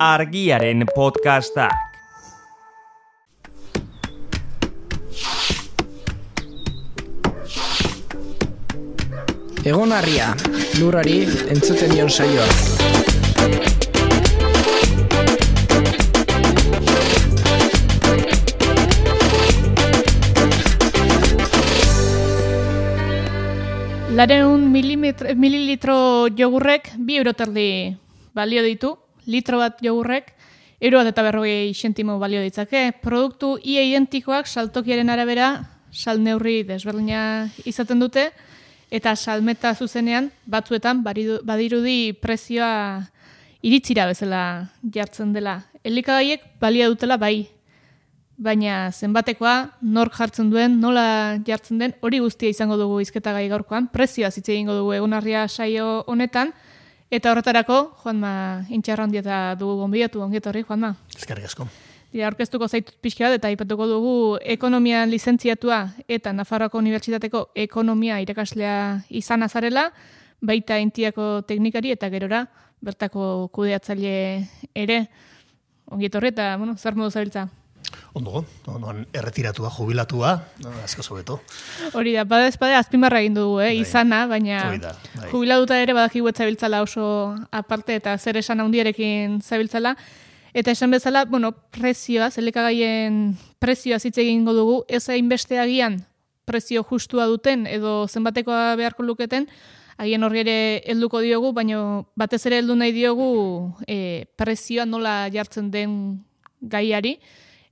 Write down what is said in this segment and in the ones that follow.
Argiaren podcastak. Egon harria, lurrari entzuten dion saioa. Lareun mililitro jogurrek 2 euro terdi balio ditu. Litro bat jogurrek 1,40 zentimo balio ditzake. Produktu ia identikoak saltokiaren arabera salneurri desberdina izaten dute eta salmeta zuzenean batzuetan badirudi prezioa iritzira bezala jartzen dela. Elikagaiek balia dutela bai. Baina zenbatekoa, nork jartzen duen, nola jartzen den, hori guztia izango dugu hizketagai gaurkoan, prezioa hitz egingo dugu egunarria saio honetan, eta horretarako, Juanma Intxarrandieta dugu gonbidatu, ongietorri, Juanma. Eskerrik asko. Aurkeztuko zaitut pixka bat, eta aipatuko dugu ekonomian lizentziatua eta Nafarroako Unibertsitateko ekonomia irakaslea izan azarela, baita Intiako teknikari eta gerora bertako kudeatzaile ere. Ongietorri eta, zer modu zabiltza? Ondo, erretiratua, jubilatua, asko sobeto. Hori da, badezpade azpimarra egin dugu, izana, baina jubilatuta ere badakigu ez zabiltzala oso aparte eta zer esan handiarekin zabiltzala. Eta esan bezala, prezioa, elikagaien prezioa hitz egingo dugu, ez hainbeste agian prezio justua duten edo zenbatekoa beharko luketen, agian horri ere helduko diogu, baina batez ere heldu nahi diogu prezioa nola jartzen den gaiari,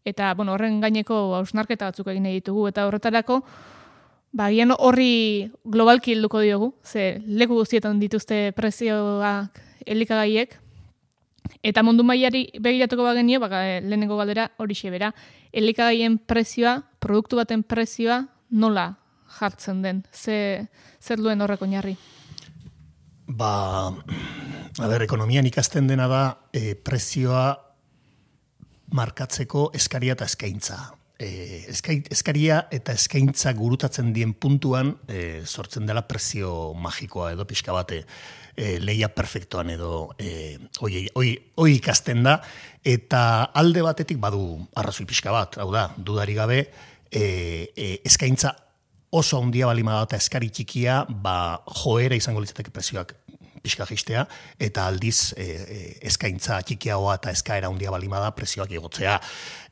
eta horren gaineko hausnarketa batzuk egin nahi ditugu, eta horretarako agian horri globalki helduko diogu, ze leku guztietan dituzte prezioak elikagaiek, eta mundu mailari begiratuko bagenio, lehenengo galdera horixe bera, elikagaien prezioa, produktu baten prezioa nola jartzen den, zer duen horrek oinarri? Ekonomian ikasten dena da prezioa markatzeko eskaria eta eskaintza. Eskaria eta eskaintza gurutatzen dien puntuan sortzen dela prezio magikoa edo pixka bate leia perfektoan edo hoi ikasten da, eta alde batetik badu arrazoi pixka bat, hau da, dudari gabe, eskaintza oso handia balima da eta eskari txikia, joera izango litzateke prezioak pixka jistea, eta aldiz eskaintza txikiagoa eta eskaera handia balima da prezioak igotzea,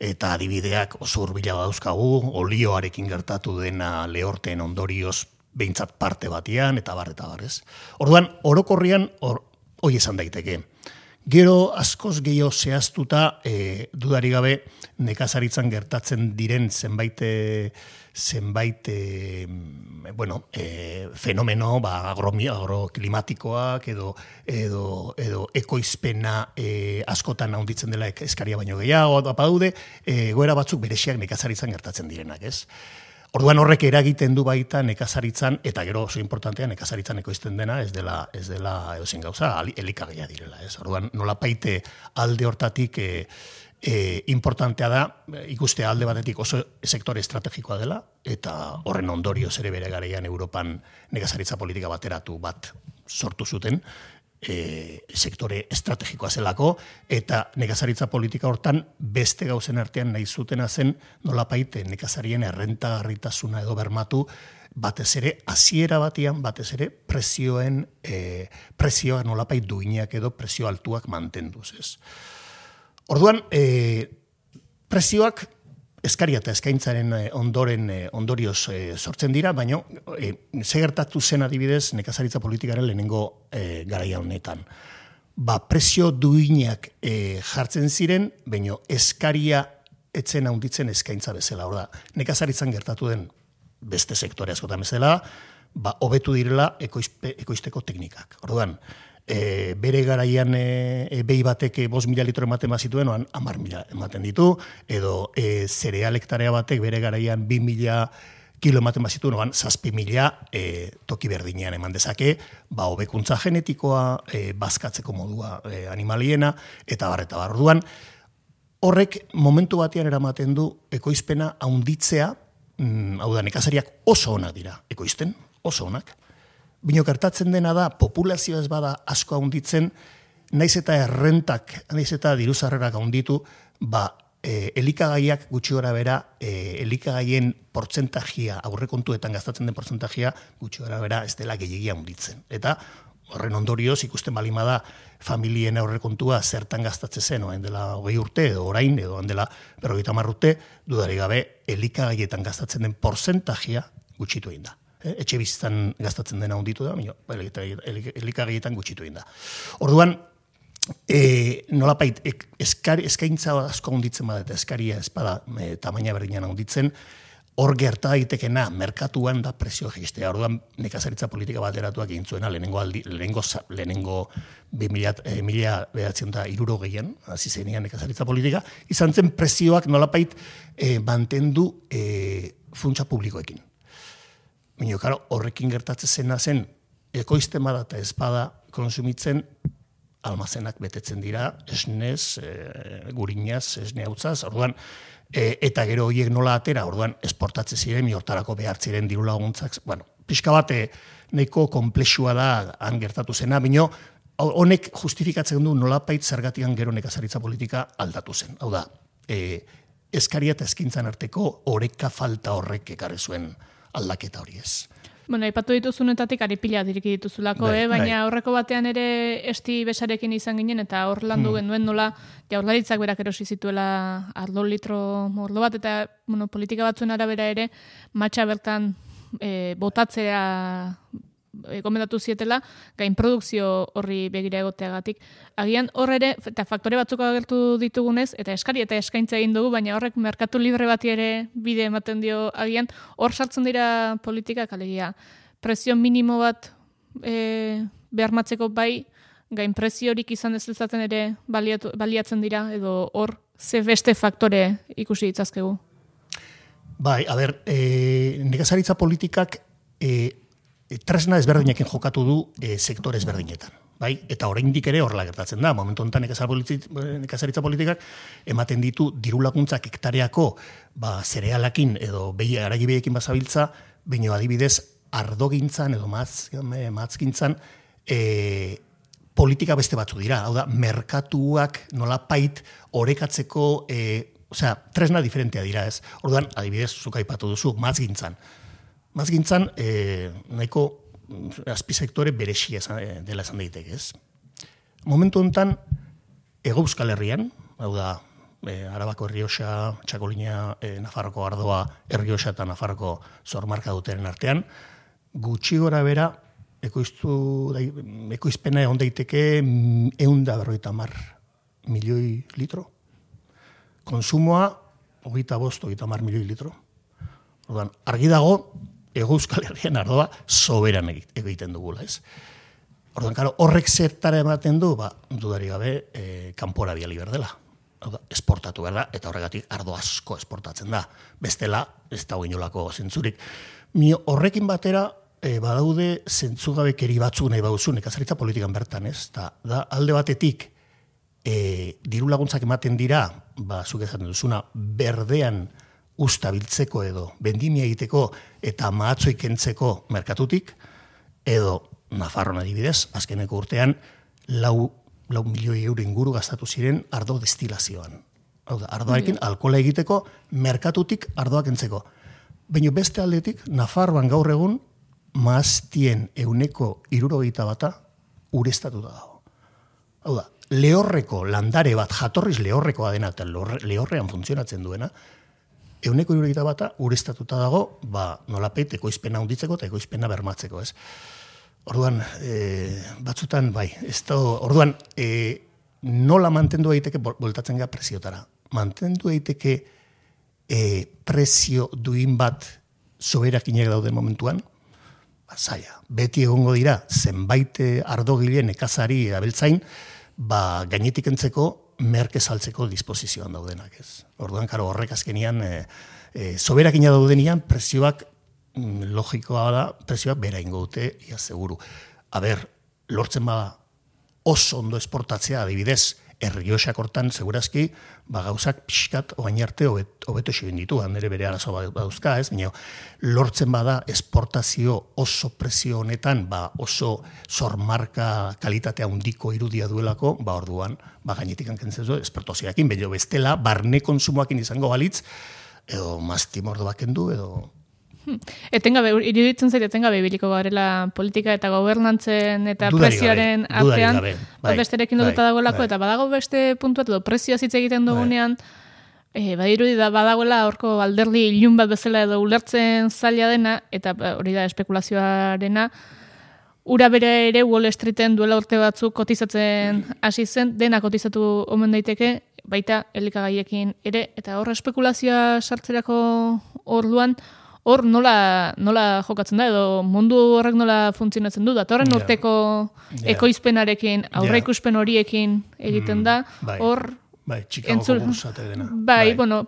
eta adibideak oso hurbila dauzkagu, olioarekin gertatu dena lehorteen ondorioz behintzat parte batean, eta bar, ez. Orduan, orokorrian, hoi esan daiteke. Gero askoz gehiago zehaztuta, dudari gabe, nekazaritzan gertatzen diren zenbait fenomeno, agroklimatikoak edo ekoizpena askotan handitzen dela eskaria baino gehiago, badaude, goera batzuk bereziak nekazaritzan gertatzen direnak, ez? Orduan horrek eragiten du baita nekazaritzan, eta gero oso importantea nekazaritzan ekoizten dena, ez dela edozein gauza, elikagaia direla, ez? Orduan nolapaite alde hortatik importantea da, ikustea alde batetik oso sektore estrategikoa dela, eta horren ondorioz ere bere garaian Europan nekazaritza politika bateratu bat sortu zuten, sektore estrategikoa zelako, eta nekazaritza politika hortan beste gauzen artean nahi zutena zen nolapaite nekazarien errentagarritasuna edo bermatu, batez ere, hasiera batean, batez ere, prezioa nolapait duinak edo prezio altuak mantenduz, ez. Orduan, prezioak eskaria eta eskaintzaren ondorioz sortzen dira, baina ze gertatu zen adibidez nekazaritza politikaren lehenengo garaia honetan. Prezio duinak jartzen ziren, baina eskaria etzen handitzen eskaintza bezala. Hor da, nekazaritzan gertatu den beste sektore askotan bezala, hobetu direla ekoizteko teknikak. Orduan, bere garaian behi batek 5.000 litro ematen bazituen, 10.000 ematen ditu, edo zerealektarea batek bere garaian 2.000 kilo ematen bazituen, 7.000 toki berdinean eman dezake, hobekuntza genetikoa, bazkatzeko modua animaliena, eta bar. Orduan, horrek momentu batean eramaten du ekoizpena handitzea, hau da, nekazariak oso onak dira ekoizten, oso onak, Bino gertatzen dena da, populazio ez bada asko handitzen, naiz eta errentak, naiz eta diruzarrerak handitu, elikagaiak gutxi gora bera, elikagaien portzentajia, aurrekontuetan gastatzen den portzentajia, gutxi gora bera ez dela gehiagia handitzen. Eta horren ondorioz ikusten balima da familien aurrekontua zertan gastatze zen, oain dela 20 urte, edo orain, edo oain dela 50 urte, dudarik gabe elikagaietan gastatzen den portzentajia gutxitu egin da. Etxe bizitzan gastatzen dena handitu da, elikagaietan gutxitu egin da. Orduan, nolapait, eskaintza asko handitzen bada, eta eskaria espada tamaina berdinan handitzen, hor gerta daitekena merkatuan da presio jistea. Orduan nekazaritza politika bateratuak egin zuena lehenengo 1960an, hasi zenean nekazaritza politika, izan zen presioak nolapait mantendu funtsa publikoekin. Baina, karo, horrekin gertatzen zena zen ekoizten bada eta ez bada konsumitzen almazenak betetzen dira, esnez, gurinaz, esne hautzaz, orduan, eta gero horiek nola atera, orduan esportatze ziren, hortarako behar ziren diru laguntzak, bueno, pixka bat nahiko konplexua da han gertatu zena, baina honek justifikatzen du nolapait zergatian gero nekazaritza politika aldatu zen. Hau da, eskaria eta eskintzan arteko oreka falta horrek ekarri zuen aldaketa hori ez. Bueno, aipatu dituzunetatik aripila diriki dituzulako, baina horreko batean ere esti besarekin izan ginen, eta hor landu genuen nola Jaurlaritzak berak erosi zituela ardo litro mordo bat, eta politika batzuen arabera ere matxa bertan botatzea gomendatu zietela, gain produkzio horri begira egoteagatik. Agian hor ere, eta faktore batzuk agertu ditugunez, eta eskari eta eskaintza egin dugu, baina horrek merkatu libre bati ere bide ematen dio agian, hor sartzen dira politikak, alegia, presio minimo bat beharmatzeko bai, gain preziorik izan ez dezaten ere baliatzen dira, edo hor ze beste faktore ikusi ditzazkegu. Bai, a ber, nekazaritza politikak tresna ezberdinekin jokatu du sektore ezberdinetan. Bai? Eta oraindik ere horrela gertatzen da. Momentu honetan nekazaritza politikak ematen ditu diru laguntzak hektareako zerealakin edo aragibiekin bazabiltza, baina adibidez ardogintzan edo matzgintzan politika beste batzu dira. Hau da, merkatuak nolapait orekatzeko tresna diferentea dira ez. Orduan, adibidez, zuk aipatu duzu, matzgintzan. Mazgintzan, nahiko azpisektore beresia dela esan daiteke, ez? Momentu honetan, Hego Euskal Herrian, hau da, Arabako Errioxa, Txakolina, Nafarroko Ardoa, Errioxa eta Nafarroko zormarka dutenen artean, gutxi gora bera, ekoizpena egon daiteke 150 milioi litro. Konsumoa, 25-30 milioi litro. Orduan, argi dago, Hego Euskal Herrian ardoa soberan egiten dugula, ez? Orduan, karo, horrek zertara ematen du, dudari gabe, kanpora biali berdela. Esportatu berda, eta horregatik ardo asko esportatzen da. Bestela, ez da inolako zentzurik. Horrekin batera, badaude zentzugabekeri batzuk nahi bauzu, nekazaritza politikan bertan, ez? Da, alde batetik, diru laguntzak ematen dira, zuk esaten duzuna, berdean ustabiltzeko edo bendimia egiteko eta mahatzoi kentzeko merkatutik, edo Nafarroan adibidez, azkeneko urtean, 4 milioi euro inguru gastatu ziren ardo destilazioan. Hau da, ardoarekin alkohola egiteko merkatutik ardoa kentzeko. Baina beste aldetik, Nafarroan gaur egun maaztien 70% ureztatuta dago. Hau da, lehorreko landare bat, jatorriz lehorrekoa dena, eta lehorrean funtzionatzen duena, 70% ureztatuta dago, nolapeit ekoizpena hunditzeko eta ekoizpena bermatzeko, ez? Orduan, batzutan, bai, orduan, nola mantendu daiteke boltatzen gara presiotara? Mantendu daiteke presio duin bat soberakinak dauden momentuan? Zaila, beti egongo dira, zenbait ardogile nekazari abeltzain, gainetik entzeko, merke saltzeko disposizioan daudenak, ez. Orduan, karo, horrek azkenian, soberakina daudenian, presioak, logikoa da, presioak bera ingo dute, ia seguru. Lortzen bada, oso ondo esportatzea, adibidez, Errioxak hortan, segurazki, gauzak pixkat oain arte hobeto egin ditu, nire bere arazo badauzka, ez? Baina lortzen bada esportazio oso presio honetan, oso sormarka kalitatea handiko irudia duelako, orduan, gainetik hankentzen zu, esportazioakin, baina bestela, barne konsumoakin izango balitz, edo mastimordo bakendu, edo... Iruditzen zait, etengabe biliko garela politika eta gobernantzen eta prezioaren artean, besterekin lotuta dagoelako, eta badago beste puntuat, edo prezioa hitz egiten dugunean, badirudi da badagoela horko alderdi ilun bat bezala edo ulertzen zaila dena, eta hori da espekulazioarena, ura bere ere Wall Streeten duela urte batzuk kotizatzen hasi zen, dena kotizatu omen daiteke, baita elikagaiekin ere, eta hor espekulazioa sartzerako orduan, hor nola jokatzen da, edo mundu horrek nola funtzionatzen du, datorren urteko ekoizpenarekin, aurreikuspen horiekin egiten da, hor... Txikagoko bursate dena.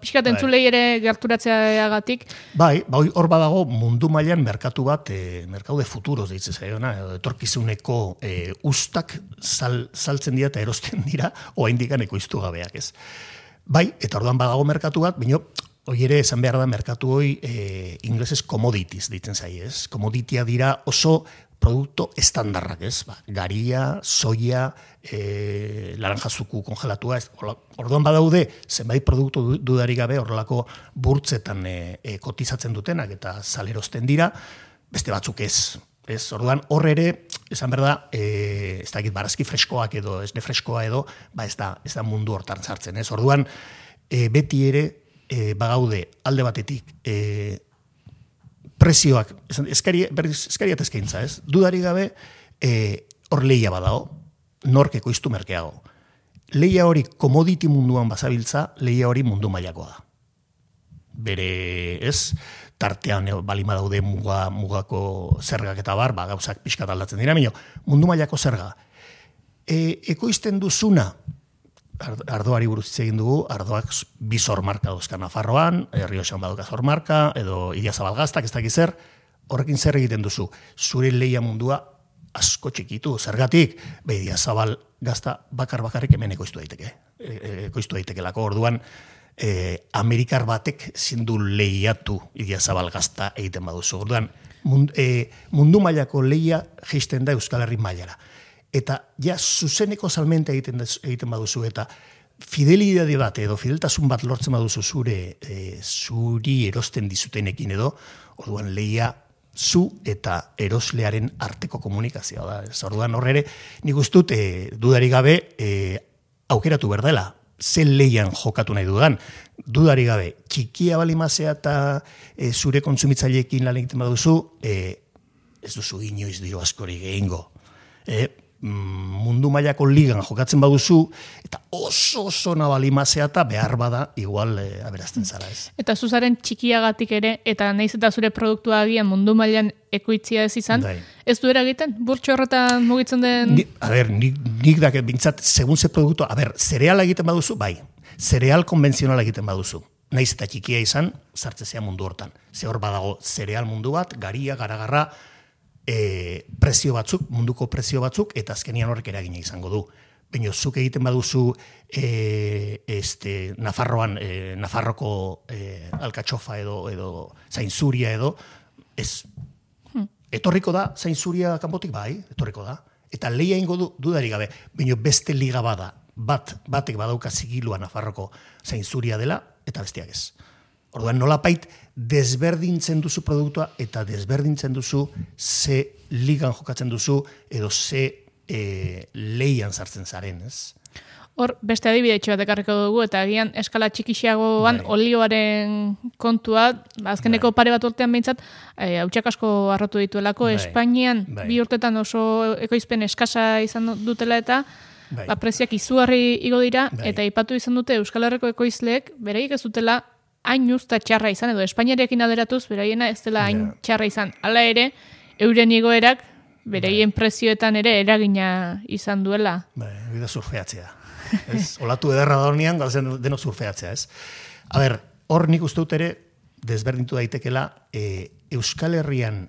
Pixkat entzulei ere gerturatzeagatik. Hor badago mundu mailan merkatu bat, merkatu de futuros deitzen zaiona, etorkizuneko ustak saltzen dira eta erosten dira, oaindikan ekoiztu gabeak, ez. Eta orduan badago merkatu bat, baina hoi ere esan behar da merkatu hoi inglesez commodities ditzen zai, ez? Commoditya dira oso produkto estandarrak, ez? Garia, soia, laranjazuku kongelatua, ez? Orduan badaude, zenbait produktu dudarik gabe horrelako burtzetan kotizatzen dutenak eta salerosten dira, beste batzuk ez. Orduan hor ere, esan behar da, ez dakit barazki freskoak edo, esne freskoa edo, ez da mundu hortan sartzen, ez? Orduan, beti ere, bagaude alde batetik prezioak, eskaria eta eskaintza, ez? Dudari gabe, hor lehia badago, nork ekoiztu merkeago. Lehia hori commodity munduan bazabiltza, lehia hori mundu mailakoa da. Bere, ez? Tartean balima daude mugako zergak eta bar, gauzak pixkat aldatzen dira, mundu mailako zerga. Ekoizten duzuna, ardoari buruz hitz egin dugu, ardoak bi sormarka dauzka Nafarroan, Errioxan baduka sormarka, edo Idiazabal Gaztak, ez dakiz zer, horrekin zer egiten duzu. Zure lehia mundua asko txikitu, zergatik, Idiazabal Gazta bakarrik hemen ekoiztu daitekelako. Orduan, Amerikar batek zindu lehiatu Idiazabal Gazta egiten baduzu. Orduan, mundu mailako lehia jaisten da Euskal Herri mailara. Eta zuzeneko salmenta egiten baduzu, eta fidelidade bat edo fideltasun bat lortzen baduzu zuri erosten dizutenekin edo, orduan lehia zu eta eroslearen arteko komunikazioa da. Orduan horre ere, nik ustut dudari gabe aukeratu berdela, ze lehian jokatu nahi dudan. Dudari gabe, txikia balimazea eta zure kontsumitzaileekin lan egiten baduzu, ez duzu inoiz dio askori gehingo. Mundu mailako ligan jokatzen baduzu, eta oso nabalimazea eta behar bada igual aberazten zara, ez. Eta zuzaren txikiagatik ere, eta nahiz eta zure produktua agian mundu mailan ekoitzia ez izan, ez du eragiten? Burtxo horretan mugitzen den... Nik daket bintzat, segun ze produktua, zereala egiten baduzu, zereal konbentzionala egiten baduzu. Nahiz eta txikia izan, sartzezea mundu hortan. Ze hor badago zereal mundu bat, garia, garagarra, prezio batzuk, munduko prezio batzuk, eta azkenian horrek eragina izango du. Baina zuk egiten baduzu Nafarroan, Nafarroko alkatxofa edo zainzuria edo, ez. Etorriko da, zainzuria kanpotik etorriko da. Eta lehia ingo dudari gabe, baina beste liga bada, batek badauka zigilua Nafarroko zainzuria dela, eta bestiak ez. Orduan nolapait desberdintzen duzu produktua eta desberdintzen duzu ze ligan jokatzen duzu edo ze lehian sartzen zaren, ez? Hor, beste adibide bat ekarriko dugu, eta agian eskala txikixiagoan olioaren kontua, azkeneko pare bat urtean behintzat, hautsak asko arrotu dituelako, Espainian 2 urtetan oso ekoizpen eskasa izan dutela eta prezioak izugarri igo dira, eta aipatu izan dute Euskal Herriko ekoizleek, beraiek ez dutela hain usta txarra izan, edo Espainiarekin alderatuz, beraiena ez dela hain txarra izan. Hala ere, euren igoerak, beraien prezioetan ere eragina izan duela. Hori da surfeatzea. Olatu ederra da hornean, deno surfeatzea, ez? Hor nik uste dut ere, desberdintu daitekela, Euskal Herrian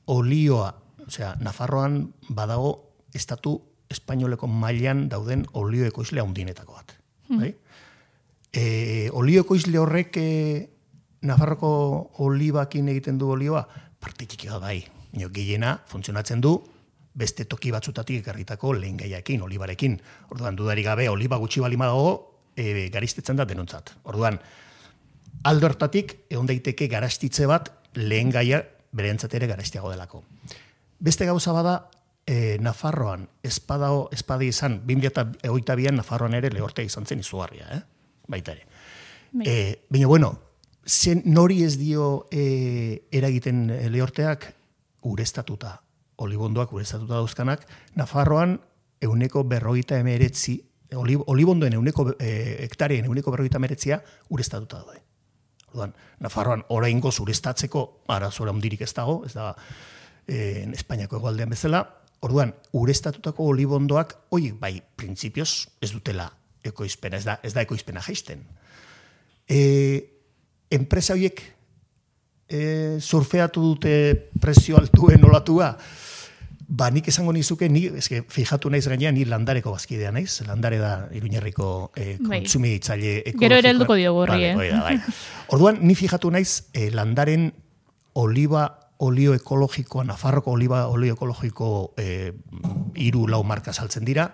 olioa, Nafarroan badago estatu espainoleko mailan dauden olio ekoizle handinetako bat. Bai? Olio ekoizle horrek Nafarroko olibakin egiten du olioa, parte txikia bai. Gehiena funtzionatzen du beste toki batzutatik ekarritako lehengaiakin, olibarekin. Orduan, dudarik gabe, oliba gutxi balima dago, garistetzen da denontzat. Orduan, aldo hortatik, egon daiteke garastitze bat lehengaia berentzat ere garastiago delako. Beste gauza bada, Nafarroan, espada izan, 2022an Nafarroan ere lehortea izan zen izugarria, baita ere. Baina, bueno, nori ez dio eragiten lehorteak ureztatuta, olibondoak ureztatuta dauzkanak, Nafarroan 149, olibondoen hektareen 149 ureztatuta daude. Orduan, Nafarroan oraingoz ureztatzeko arazora handirik ez dago, ez da Espainiako hegoaldean bezala. Orduan, ureztatutako olibondoak, bai, printzipioz ez dutela ekoizpena, ez da ekoizpena jaisten. Enpresa horiek surfeatu dute prezio altuen olatua, nik esango nizuke, fijatu naiz gainean, ni Landareko bazkidea naiz, Landare da Iruñerriko kontsumitzaile ekologikoa. Gero ere helduko diogu horri, Bai. Orduan, ni fijatu naiz Landaren olio ekologikoa, Nafarroko olio ekologiko 3-4 marka saltzen dira,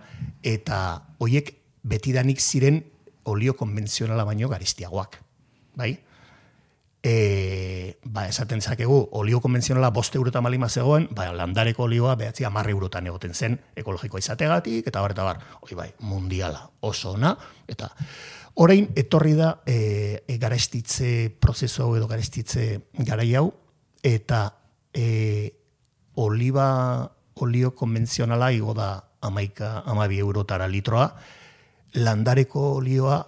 eta horiek betidanik ziren olio konbentzionala baino garistiagoak. Bai? Esaten zakegu, olio konbentzionala 5 eurotan malima zegoen, Landareko olioa 10 eurotan egoten zen ekologikoa izategatik, eta bar, bai, mundiala oso ona, eta orain etorri da garestitze prozesu edo garestitze garai hau, eta olio konbentzionala igo da 12 eurotara litroa, Landareko olioa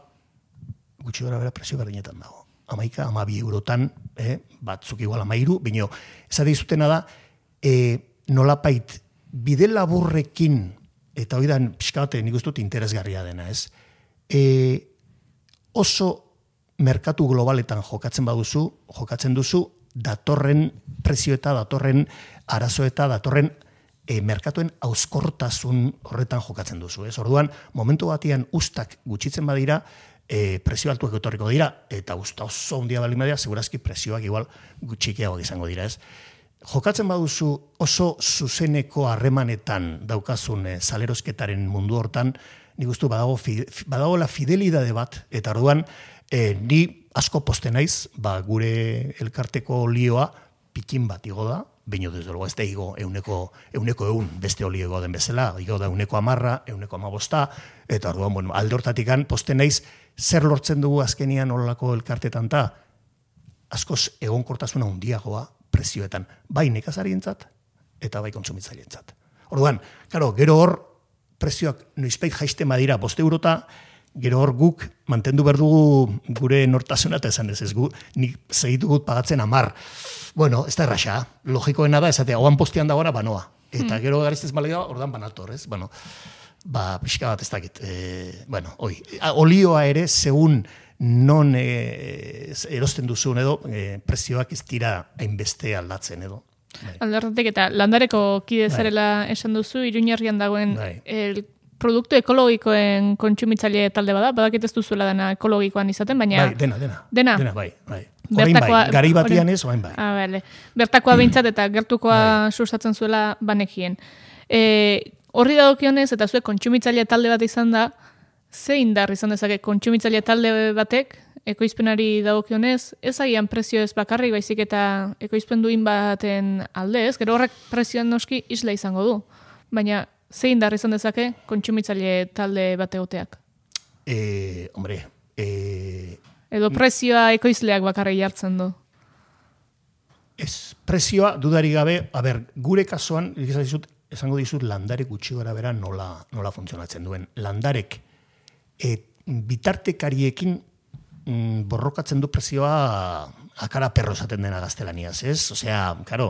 gutxi gara bera presio berdinetan dago. 12 eurotan, batzuk igual 13, baina esate izutena da, nolapait, bide laburrekin, eta hori da, pixka bat, nik uste dut interesgarria dena, ez? Oso merkatu globaletan jokatzen duzu, datorren prezio eta datorren arazo eta datorren merkatuen auskortasun horretan jokatzen duzu, ez? Orduan, momentu batean ustak gutxitzen badira, presio altuak etorriko dira, eta usta oso handia baldin badira, segurazki presioak igual gutxikiagoak izango dira, ez? Jokatzen baduzu oso zuzeneko harremanetan daukazun salerosketaren mundu hortan, nik uste badago la fidelidade bat, eta orduan ni asko poste naiz, gure elkarteko olioa pikin bat igo da, baina desde luego ez da igo 100 beste olio igo den bezala, igo da 110, 115, eta orduan, alde hortatikan poste naiz, zer lortzen dugu azkenian olako elkartetan ta, askoz egonkortasuna handiagoa prezioetan, bai nekazarientzat eta bai kontsumitzaileentzat. Orduan, gero hor prezioak noizbait jaisten badira 5 eurota, gero hor guk mantendu behar dugu gure nortasuna eta esan ez nik segitu gut pagatzen 10. Bueno, ez da erraxa, logikoena da, esatea, oan postian dagoena banoa. Eta gero garistez balea, ordan banator, ez? Pixka bat ez dakit. Olioa ere, segun non erosten duzun edo, prezioak ez dira hainbeste aldatzen edo. Alderratik eta Landareko kide zarela esan duzu, Iruñerrian dagoen produktu ekologikoen kontsumitzaile talde bada, badakit ez duzuela dena ekologikoan izaten, baina... Dena, bai. Garai batian ez, oain bai. Bertakoa behintzat eta gertukoa sustatzen zuela banekien. Horri dagokionez, eta zuek kontsumitzaile talde bat izan da, ze indar izan dezake kontsumitzaile talde batek, ekoizpenari dagokionez, ez agian prezio ez bakarrik, baizik eta ekoizpen duin baten aldez, gero horrek prezioan noski isla izango du. Baina, ze indar izan dezake kontsumitzaile talde bat egoteak? Edo prezioa ekoizleak bakarrik jartzen du? Ez, prezioa dudari gabe, gure kasuan, esango dizut Landarek gutxi gara bera nola funtzionatzen duen. Landarek bitartekariekin borrokatzen du prezioa akara perro esaten dena gaztelaniaz, ez? Osea, karo,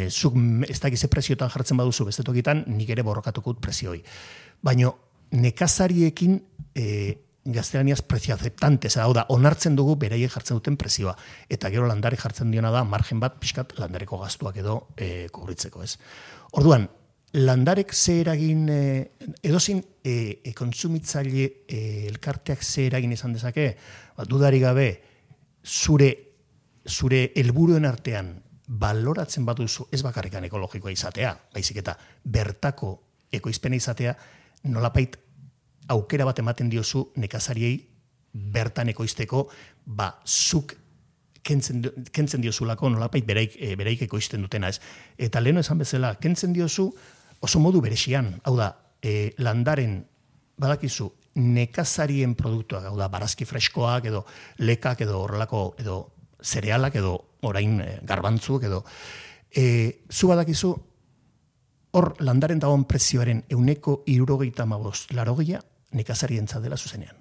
zuk ez dakize prezioetan jartzen baduzu bestetokitan, nik ere borrokatuko dut prezioi. Baina nekazariekin gaztelaniaz prezio aceptante, hau da, onartzen dugu beraiek jartzen duten prezioa. Eta gero Landarek jartzen diona da, margen bat, pixkat Landareko gastuak edo kubritzeko, ez? Orduan, landarek ze eragin, edozin kontsumitzaile elkarteak ze eragin izan dezake, dudari gabe, zure helburuen artean baloratzen baduzu ez bakarrikan ekologikoa izatea, baizik eta bertako ekoizpena izatea, nolapait aukera bat ematen diozu nekazariei bertan ekoizteko, zuk kentzen diozulako nolapait bereik ekoizten dutena ez. Eta leheno esan bezala, kentzen diozu oso modu berexian, hau da, landaren badakizu nekazarien produktuak, hau da, barazki freskoak edo lekak edo horrelako edo zerealak edo orain garbantzuk edo zu badakizu hor landaren dagoen prezioaren 175 nekazarientzat dela zuzenean.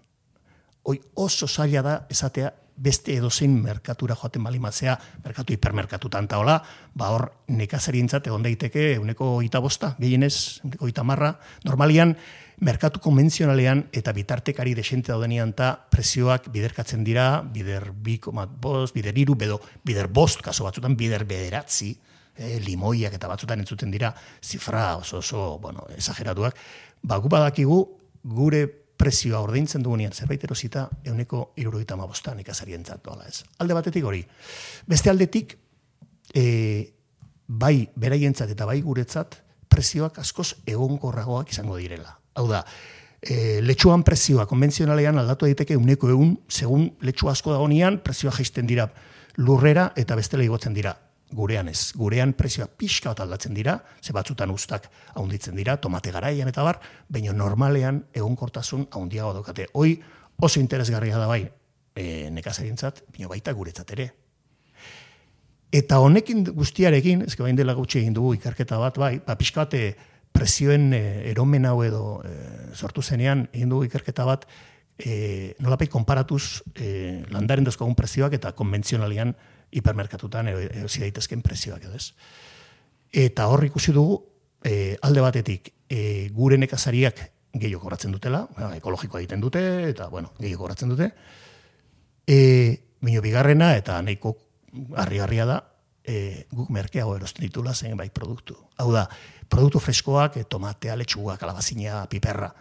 Hoi oso zaila da esatea beste edozein merkatura joaten balimatzea, merkatu hipermerkatutan taola, hor nekazarientzat egon daiteke 125, gehienez 150, normalian merkatu konbentzionalean eta bitartekari desente daudenean eta prezioak biderkatzen dira, bider 2,5, bider 3, bider 5, kaso batzutan bider 9, limoiak eta batzutan entzuten dira, zifra oso esageratuak, gu badakigu gure prezioa ordaintzen dugunean zerbait erosita 175 nekazarientzat doala ez. Alde batetik hori. Beste aldetik, bai beraientzat eta bai guretzat, prezioak askoz egonkorragoak izango direla. Hau da, letxuan prezioa konbentzionalean aldatu daiteke 100, segun letxu asko dagonean, prezioa jaisten dira lurrera eta bestela igotzen dira. Gurean ez. Gurean prezioa pixka bat aldatzen dira, ze batzutan ustak haunditzen dira, tomate garaian eta bar, baina normalean egonkortasun haundiago daukate. Hoi oso interesgarria da bai nekazarientzat, baina baita guretzat ere. Eta honekin guztiarekin, ezke bain dela gutxi egin dugu ikerketa bat, bai, pixka bat prezioen eromen hau edo sortu zenean egin dugu ikerketa bat, nolapait konparatuz landaren dozkogun prezioak eta konbentzionalian hipermerkatutan erosi daitezken prezioak edo ez. Eta hor ikusi dugu, alde batetik, gure nekazariak gehiago kobratzen dutela, ekologikoa egiten dute, eta gehiago kobratzen dute, baina bigarrena, eta nahiko harri-harria da, guk merkeago erosten ditula zen bai produktu. Hau da, produktu freskoak, tomatea, letxuga, kalabazina, piperra.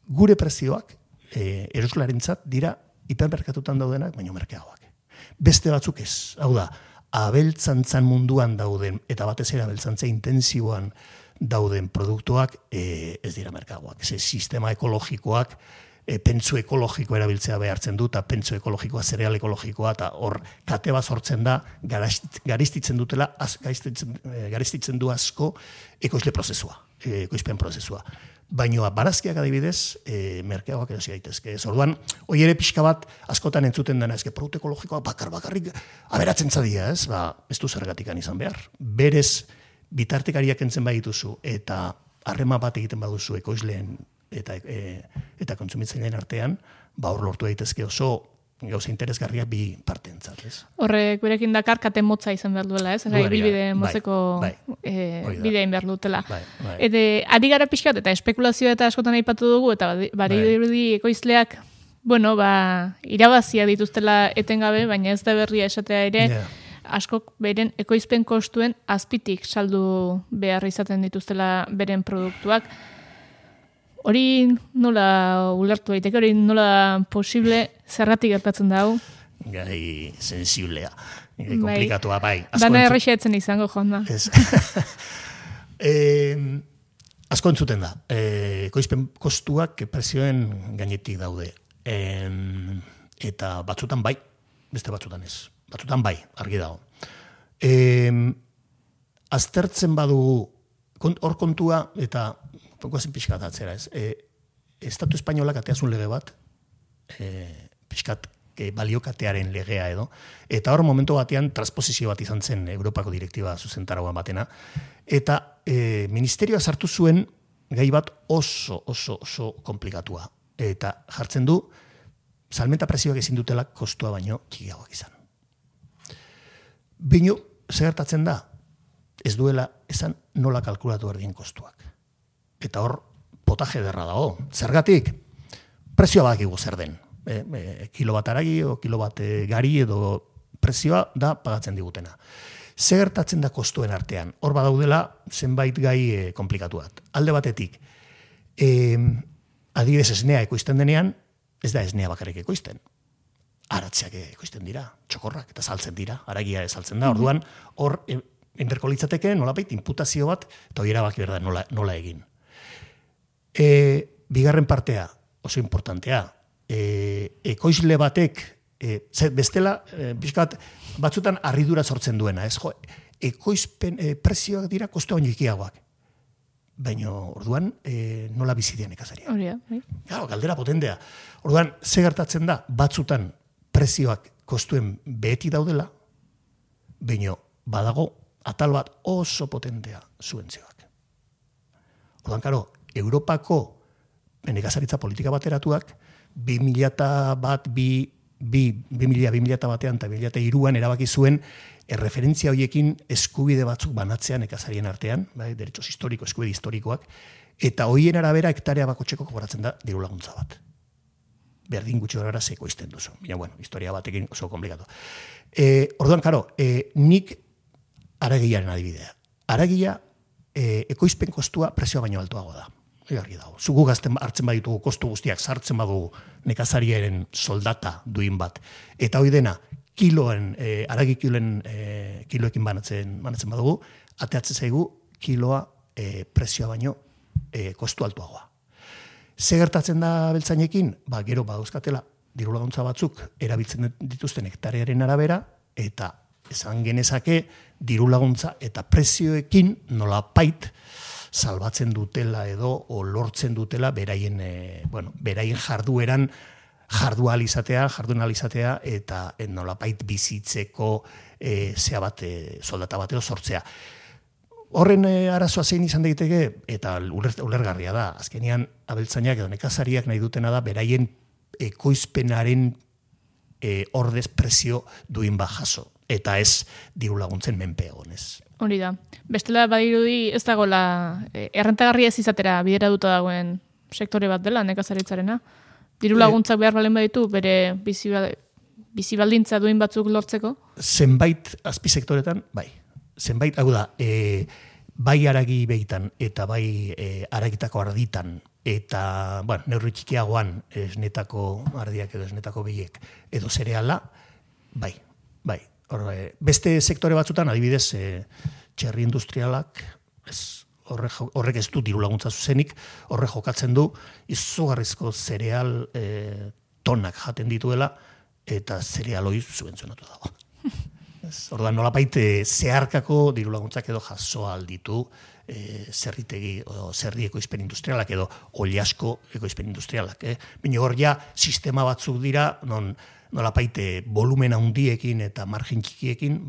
Gure prezioak, eroslarentzat dira hipermerkatutan daudenak, baina merkeagoak. Beste batzuk ez, hau da, abeltzantzan munduan dauden, eta batez ere abeltzantza intensiboan dauden produktuak ez dira merkeagoak. Sistema ekologikoak, pentsu ekologiko erabiltzea behartzen du, eta pentsu ekologikoa, zereal ekologikoa, eta hor kate bat sortzen da, garistitzen du asko ekoizle prozesua, ekoizpen prozesua. Baina barazkiak adibidez, merkeagoak erosi daitezke. Orduan, hoi ere pixka bat askotan entzuten dena, produktu ekologikoa bakarrik aberatzen zadia, ez? Ez du zergatikan izan behar. Berez, bitartekariak entzen badituzu eta harrema bat egiten baduzu ekoizleen eta kontsumitzaileen artean, hor lortu daitezke oso gauza interesgarriak bi parteentzat, ez? Horrek gurekin dakar kate motza izan behar duela, ez? Bilbide motzeko bidein behar dutela. Adi gara pixkat eta espekulazioa eta askotan aipatu dugu, eta badirudi ekoizleak, irabazia dituztela etengabe, baina ez da berria esatea ere, askok beren ekoizpen kostuen azpitik saldu behar izaten dituztela beren produktuak. Hori nola ulertu daiteke, hori nola posible zergatik gertatzen da hau? Gai sensiblea, komplikatua bai. Dana errexeatzen izango jonda. Asko entzuten da. Ekoizpen kostuak prezioen gainetik daude. Eta batzutan bai, beste batzutan ez. Batzutan bai, argi dago. Aztertzen badugu, hor kontua eta goazen pixkat atzera ez. Estatu espainolak ateazun lege bat, pixkat baliokatearen legea edo, eta hor momentu batean transposizio bat izan zen Europako direktiba zuzentaragoan batena, eta ministerioa sartu zuen gai bat oso komplikatua, eta jartzen du salmenta prezioak ezin dutela kostua baino txikiagoak izan. Baina, segertatzen da, ez duela esan nola kalkulatu erdien kostuak. Eta hor, potaje derra dago. Zergatik, prezioa badakigu zer den. Kilo bat aragi o kilo bat gari edo prezioa da pagatzen digutena. Ze gertatzen da kostuen artean? Hor badaudela zenbait gai komplikatu bat. Alde batetik, adibidez esnea ekoizten denean, ez da esnea bakarrik ekoizten. Aratzeak ekoizten dira, txokorrak eta saltzen dira, haragia saltzen da. Orduan, hor enberko litzateke nolabait inputazio bat, eta hori erabaki behar da nola egin. Bigarren partea, oso importantea, ekoizle batek, bestela, pixkat, batzutan harridura sortzen duena, ez jo, ekoizpen prezioak dira kostu baino ikiagoak. Baina, orduan, nola bizidean ekazaria. Galdera potentea. Orduan, ze gertatzen da, batzutan prezioak kostuen beheti daudela, baina badago atal bat oso potentea zuentzioak. Orduan, karo, Europako nekazaritza politika bateratuak 2001, 2000 batean eta 2003an erabaki zuen erreferentzia horiekin eskubide batzuk banatzean nekazarien artean, bai, derechos historiko, eskubide historikoak, eta horien arabera hektarea bakotxeko kobratzen da diru laguntza bat. Berdin gutxi horrela zeko izten duzu. Baina, bueno, historia batekin oso komplikatu. Orduan, karo, nik aragiaren adibidea. Aragia, ekoizpen kostua prezioa baino altuago da. Garri dago. Zugu gazten hartzen baditugu kostu guztiak sartzen badugu nekazariaren soldata duin bat. Eta hoi dena, aragi kiloekin banatzen badugu, ateatzen zaigu kiloa prezioa baino kostu altuagoa. Ze gertatzen da beltzainekin? Gero badauzkatela diru laguntza batzuk erabiltzen dituzten hektarearen arabera, eta esan genezake diru laguntza eta prezioekin nolapait salbatzen dutela edo o lortzen dutela beraien jardueran jardun alizatea eta nolapait bizitzeko soldata bateo sortzea. Horren arazoa zein izan daiteke, eta ulergarria da, azkenean abeltzainak edo nekazariak nahi dutena da, beraien ekoizpenaren ordez prezio duin bat jaso, eta ez diru laguntzen menpe egonez. Hori da. Bestela badirudi ez dagoela errentagarria ez izatera bidera duta dagoen sektore bat dela nekazaritzarena. Diru laguntzak behar balen baditu bere bizi baldintza duin batzuk lortzeko? Zenbait azpisektoretan, bai. Zenbait, hau da, bai aragi behitan eta bai aragitako arditan eta, neurri txikiagoan esnetako ardiak edo esnetako behiek edo zereala, bai. Beste sektore batzutan, adibidez, txerri industrialak, horrek ez du diru laguntza zuzenik, horrek jokatzen du izugarrizko zereal tonak jaten dituela eta zereal hori zubentzionatu dago. Orduan nolapait zeharkako diru laguntzak edo jaso alditu zerritegi o zerri ekoizpen industrialak edo oliasko ekoizpen industrialak. Baina hor ja sistema batzuk dira non nolapait volumen handiekin eta margin txikiekin,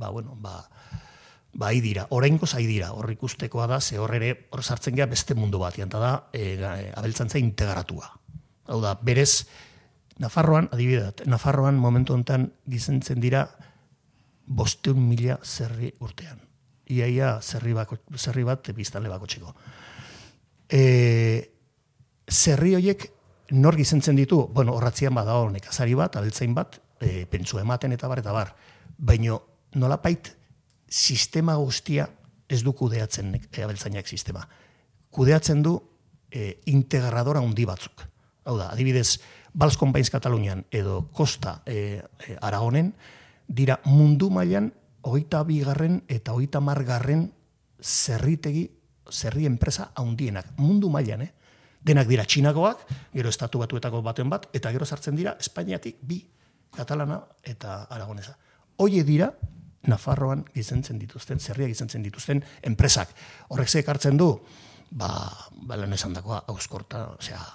hai dira, oraingoz hai dira, hor ikustekoa da, ze hor sartzen gea beste mundu batean, eta da abeltzantza integratua. Hau da, berez, Nafarroan, adibidez, Nafarroan momentu honetan gizentzen dira 500.000 zerri urtean. Iaia zerri bat biztanle bakotxeko. Zerri horiek nor gizentzen ditu, horratzian badago nekazari bat, abeltzain bat, pentsu ematen eta bar. Baina nolapait sistema guztia ez du kudeatzen abeltzainak sistema. Kudeatzen du integradora handi batzuk. Hau da, adibidez, Bals Companys Katalunian edo Costa Aragonen, dira mundu mailan 22. eta 30. zerri enpresa handienak. Mundu mailan, Denak dira txinakoak, gero estatu batuetako baten bat, eta gero sartzen dira Espainiatik 2, katalana eta aragonesa. Hoie dira Nafarroan gizentzen dituzten, zerriak gizentzen dituzten enpresak. Horrek ze ekartzen du, lan esan dagoa,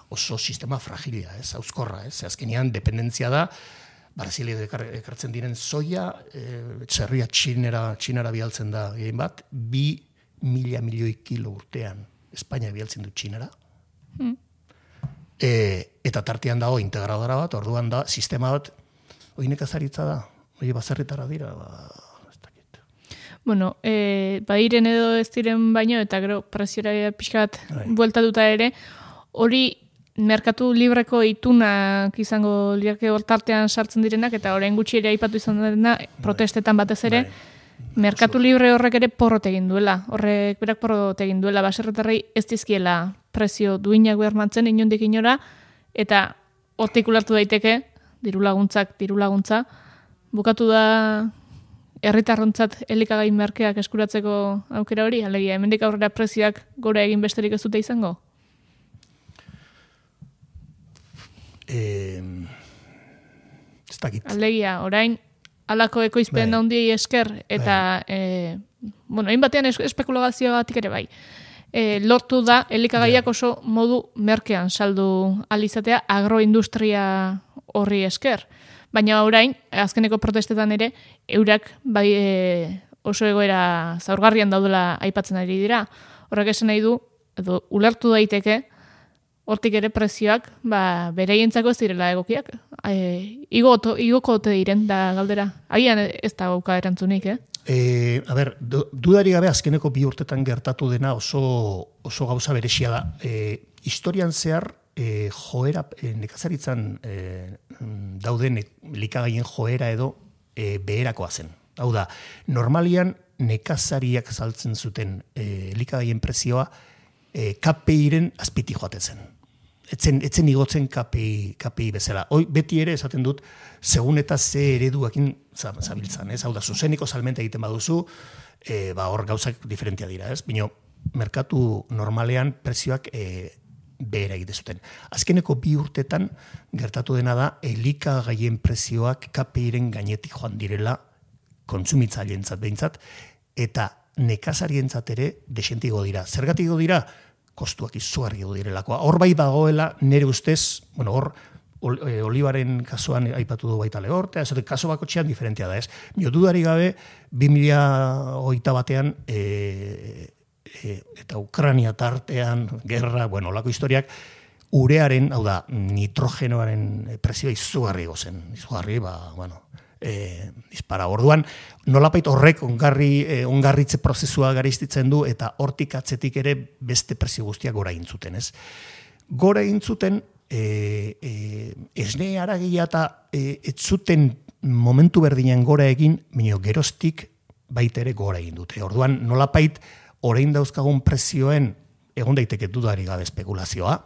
oso sistema fragilia, auskorra, azkenean dependentzia da, Brasilia ekartzen diren soia, zerria txinara bialtzen da egin bat, 2.000 milioi kilo urtean Espainia bialtzen du txinara. Eta tartean dago integradora bat, orduan da, sistema bat, hori nekazaritza da, hori bazarritara dira, ez dakit. Badiren edo ez diren baino, eta gero preziora pixka bat bueltatuta ere, hori merkatu libreko itunak izango liake hortartean sartzen direnak, eta orain gutxi ere aipatu izan dena, protestetan batez ere, Merkatu libre horrek ere porrot egin duela. Horrek berak porrot egin duela. Baserritarrei ez dizkiela prezio duinak bermatzen inondik inora, eta hortik ulertu daiteke, diru laguntza, bukatu da herritarrontzat elikagai merkeak eskuratzeko aukera hori, alegia, hemendik aurrera prezioak gora egin besterik ez dute izango? Ez dakit. Alegia, orain, alako ekoizpen handiei esker, eta, hainbatean espekulazioagatik ere bai. Lortu da, elikagaiak oso modu merkean saldu alizatea agroindustria horri esker. Baina orain, azkeneko protestetan ere, eurak bai oso egoera zaurgarrian daudela aipatzen ari dira. Horrek esan nahi du, edo ulertu daiteke, hortik ere prezioak bereientzako ez direla egokiak. Igoko ote diren da galdera. Agian ez da gauka erantzunik, Dudari gabe azkeneko 2 urtetan gertatu dena oso gauza berexia da. Historian zehar, joera, nekazaritzan dauden likagaien joera edo beherakoa zen. Hau da, normalian nekazariak saltzen zuten likagaien prezioa KPI-ren azpiti joaten zen. Etzen igotzen KPI bezala. Hoi, beti ere esaten dut, segun eta ze ereduakin zabiltzan. Hau da, zuzeniko salmenta egiten baduzu, hor gauzak diferentia dira. Bino, merkatu normalean prezioak behera egite zuten. Azkeneko 2 urtetan gertatu dena da, elikagaien prezioak KPI-ren gainetik joan direla, kontsumitzaileentzat behintzat, eta nekazarientzat ere desentigo dira. Zergatik dira? Kostuak izugarri direlakoa. Hor bai dagoela, nire ustez, hor olibaren kasuan aipatu du baita lehortea, kaso bakotxean diferentia da, ez? Dudari gabe, 2021an eta Ukrania tartean, gerra, olako historiak, urearen, hau da, nitrogenoaren prezioa izugarri gozen. Izugarri, dispara. Orduan, nolapait horrek ongarritze prozesua garestitzen du eta hortik atzetik ere beste prezio guztiak gora egin zuten, ez? Gora egin zuten, esne haragia eta ez zuten momentu berdinean gora egin, baina geroztik baita ere gora egin dute. Orduan, nolapait orain dauzkagun prezioen egon daiteke dudari gabe espekulazioa,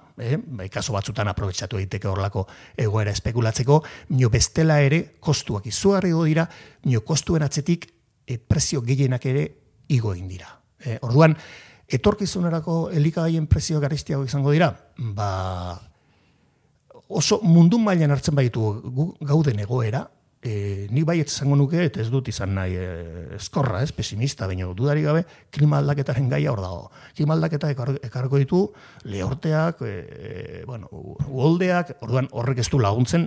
kaso batzutan aprobetxatu daiteke horlako egoera espekulatzeko, nio bestela ere kostuak izugarri dira, nio kostuen atzetik prezio gehienak ere igo egin dira. Orduan, etorkizunerako elikagaien prezio garestiago izango dira, oso mundu mailan hartzen baitu gauden egoera, nik bai ez zango nuke, eta ez dut izan nahi eskorra, pesimista, baina dudari gabe, klima aldaketaren gaia hor dago. Klima aldaketa ekarriko ditu, lehorteak, uholdeak, orduan horrek ez du laguntzen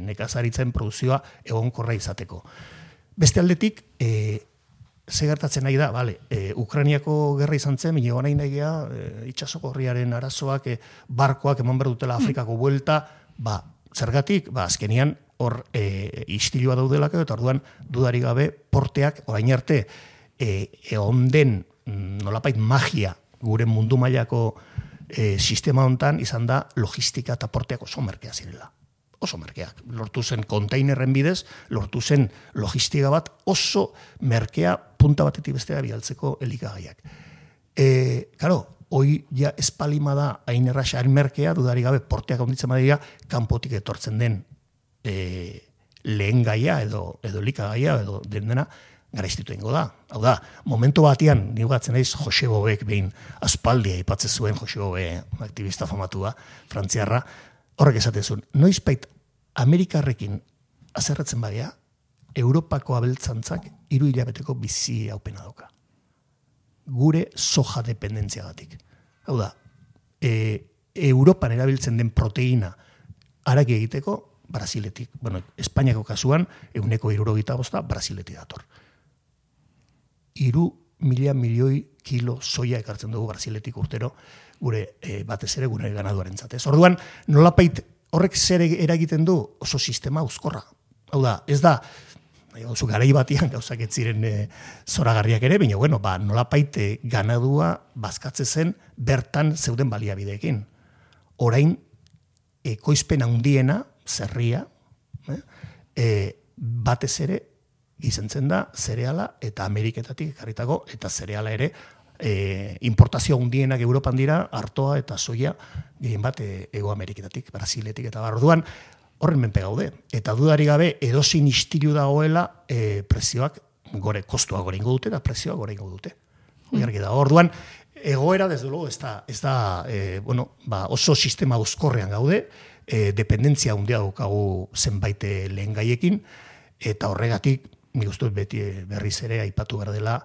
nekazaritzen produzioa egonkorra izateko. Beste aldetik, ze gertatzen nahi da, Ukrainiako gerra izan zen, baina egon nahi gea, itxasoko horriaren arazoak, barkoak eman behar dutela Afrikako buelta, zergatik, azkenian, hor istilua daudelako, eta orduan dudari gabe porteak orain arte onden nolapait magia gure mundu mailako sistema hontan izan da logistika eta porteak oso merkea zirela. Oso merkeak. Lortu zen kontainerren bidez, lortu zen logistika bat oso merkea punta batetik bestera bidaltzeko elikagaiak. Hoi ja espalima da hain erraxa merkea, dudari gabe porteak onditzen badira, kanpotik etortzen den lehen gaia edo elikagaia edo dena garestitu ingo da. Hau da, momentu batian, nigatzen naiz Jose Bobek behin aspaldia aipatzen zuen Jose Bobe, aktivista famatua, frantziarra, horrek esaten zuen, noizbait Amerikarrekin azerratzen bagea, Europako abeltzantzak 3 hilabeteko bizi haupena dauka. Gure soja dependentziagatik. Hau da, Europan erabiltzen den proteina haraki egiteko, Brasiletik. Espainiako kasuan, 175 Brasiletik dator. 3.000 milioi kilo soia ekartzen dugu Brasiletik urtero, gure batez ere gure ganaduaren zatez. Orduan, nolapait horrek zer eragiten du oso sistema uzkorra. Hau da, ez da, garai batian gauzak ez ziren zoragarriak ere, baina nolapait ganadua bazkatze zen bertan zeuden baliabideekin. Orain, ekoizpen handiena, zerria, batez ere gizentzen da zereala eta Ameriketatik ekarritako, eta zereala ere importazio handienak Europan dira, artoa eta soia gehien bat Hego Ameriketatik, Brasiletik eta orduan horren menpe gaude. Eta dudari gabe edozein istilu dagoela prezioak kostua gore ingo dute eta prezioak gore ingo dute. Orduan, egoera, desde luego, ez da oso sistema uzkorrean gaude, dependentzia handia daukagu zenbait lehen gaiekin, eta horregatik, nik uste beti berriz ere aipatu behar dela,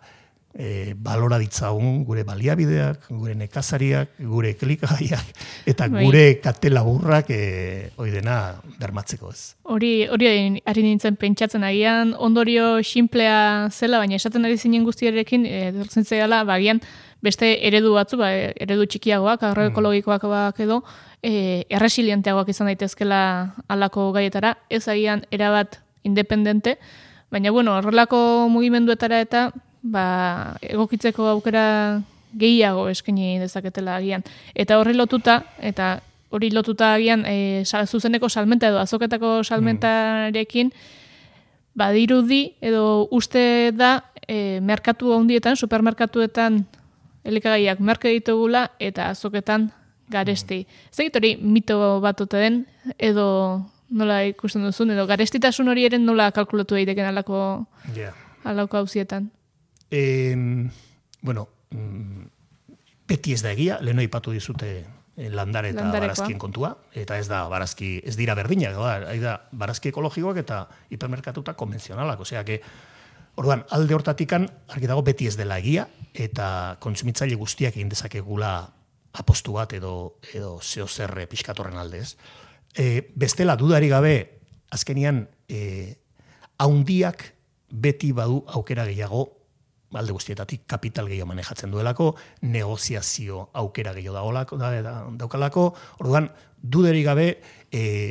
balora ditzagun gure baliabideak, gure nekazariak, gure klikagaiak, eta gure kate laburrak hori dena bermatzeko ez. Hori ari nintzen pentsatzen agian, ondorio xinplea zela, baina esaten ari zinen guztiarekin, dortzen zehala, agian beste eredu batzu, eredu txikiagoak, agroekologikoak edo, erresilienteagoak izan daitezkela halako gaietara, ez agian erabat independente, baina horrelako mugimenduetara eta egokitzeko aukera gehiago eskaini dezaketela agian. Eta hori lotuta agian zuzeneko salmenta edo azoketako salmentarekin badirudi edo uste da merkatu handietan, supermerkatuetan elikagaiak merke ditugula eta azoketan garesti. Zegit hori mito bat ote den edo nola ikusten duzun edo garestitasun hori eren nola kalkulatu daiteken alako hauzietan? Beti ez da egia, leheno ipatu dizute landare eta barazkien kontua, eta ez dira berdinak, da barazki ekologikoak eta hipermerkatuta konvenzionalak, osea que orduan alde hortatikan argi dago beti ez dela egia eta kontsumitzaile guztiak egin dezakegula apostu bat edo zeo zer pixkatorren alde ez. Bestela dudari gabe azkenian haundiak beti badu aukera gehiago alde guztietatik kapital gehiago manejatzen duelako, negoziazio aukera gehiago daukalako, orduan, duderi gabe,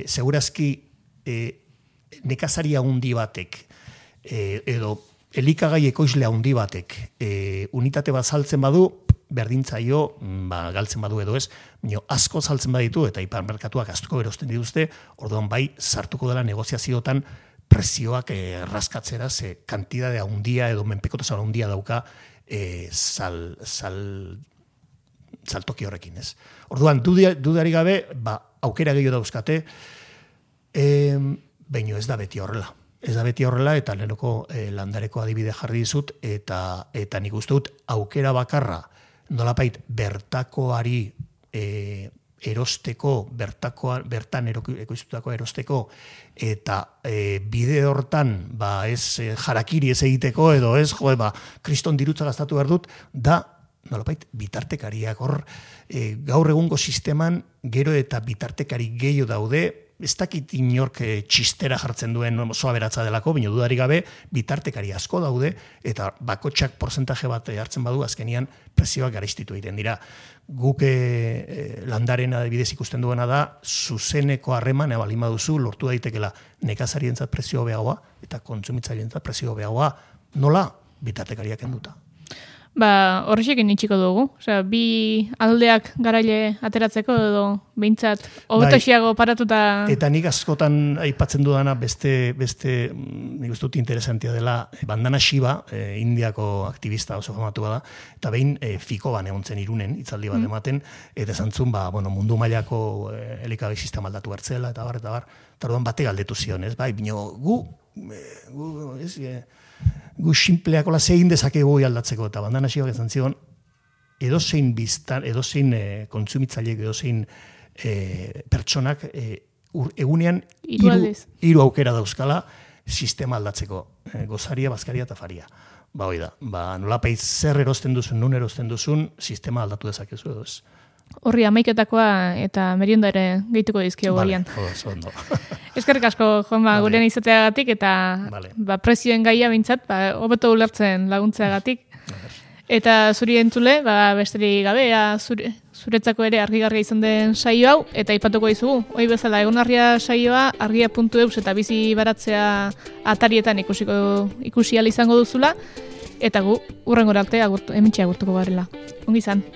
segurazki nekazaria handi batek, edo elikagai ekoizle handi batek, unitate bat saltzen badu, berdintzaio, galtzen badu edo ez, asko saltzen baditu, eta hipermerkatuak asko erosten dituzte, orduan bai, sartuko dela negoziaziotan, prezioak raskatzera, ze kantidade handia edo menpekotasun handia dauka saltoki horrekin, ez. Orduan, dudari gabe, aukera gehiago dauzkate, baino ez da beti horrela. Ez da beti horrela, eta lehenoko landareko adibide jarri dizut, eta nik uste dut aukera bakarra, nolapait bertakoari erosteko, bertan ekoiztutako erosteko, eta bide hortan, ez jarakiri ez egiteko, edo ez, kriston dirutza gastatu behar dut, da, nolapait, bitartekariak hor, gaur egungo sisteman, gero eta bitartekari gehiago daude, ez dakit inork txistera jartzen duen oso aberatza delako, baina dudari gabe bitartekari asko daude, eta bakotxak porcentaje bat hartzen badu, azkenian prezioak garestitu egiten dira. Guk landaren adibidez ikusten duena da, zuzeneko harreman balin baduzu lortu daitekela nekazarientzat prezio hobeagoa eta kontsumitzaileentzat prezio hobeagoa, nola bitartekariak kenduta. Horrexekin itxiko dugu. Osea, bi aldeak garaile ateratzeko edo behintzat hobetosiago paratuta... Eta nik askotan aipatzen dudana beste nik uste dut interesantia dela, Bandana Shiva, Indiako aktivista oso famatu bada, eta behin Fikoban egon zen Irunen, hitzaldi bat ematen, eta zantzun, mundu mailako elikagai sistema aldatu bertzela, eta bar, eta orduan bate galdetu zion, ez? Gu sinpleakola zein dezakegu aldatzeko, eta Bandana Shivak ezan zion, edozein biztan, edozein kontsumitzaileek, edozein pertsonak egunean hiru aukera dauzkala sistema aldatzeko, gozaria, bazkaria eta faria. Hoi da, nolapait zer erosten duzun, nun erosten duzun, sistema aldatu dezakezu edo ez. Horri amaiketakoa eta merienda ere gehituko dizkio gorian. Ondo. Eskerrik asko, Juanma, gurean izateagatik eta prezioen gaia bintzat, hobeto ulertzen laguntzeagatik. Eta zuri entzule, besterik gabe, zuretzako ere argigarria izan den saio hau, eta aipatuko dizugu. Hoi bezala, egonarria saioa argia.eus eta bizi baratzea atarietan ikusi ahal izango duzula, eta gu, urrengora arte, hementxe agurtuko garela. Ongi izan.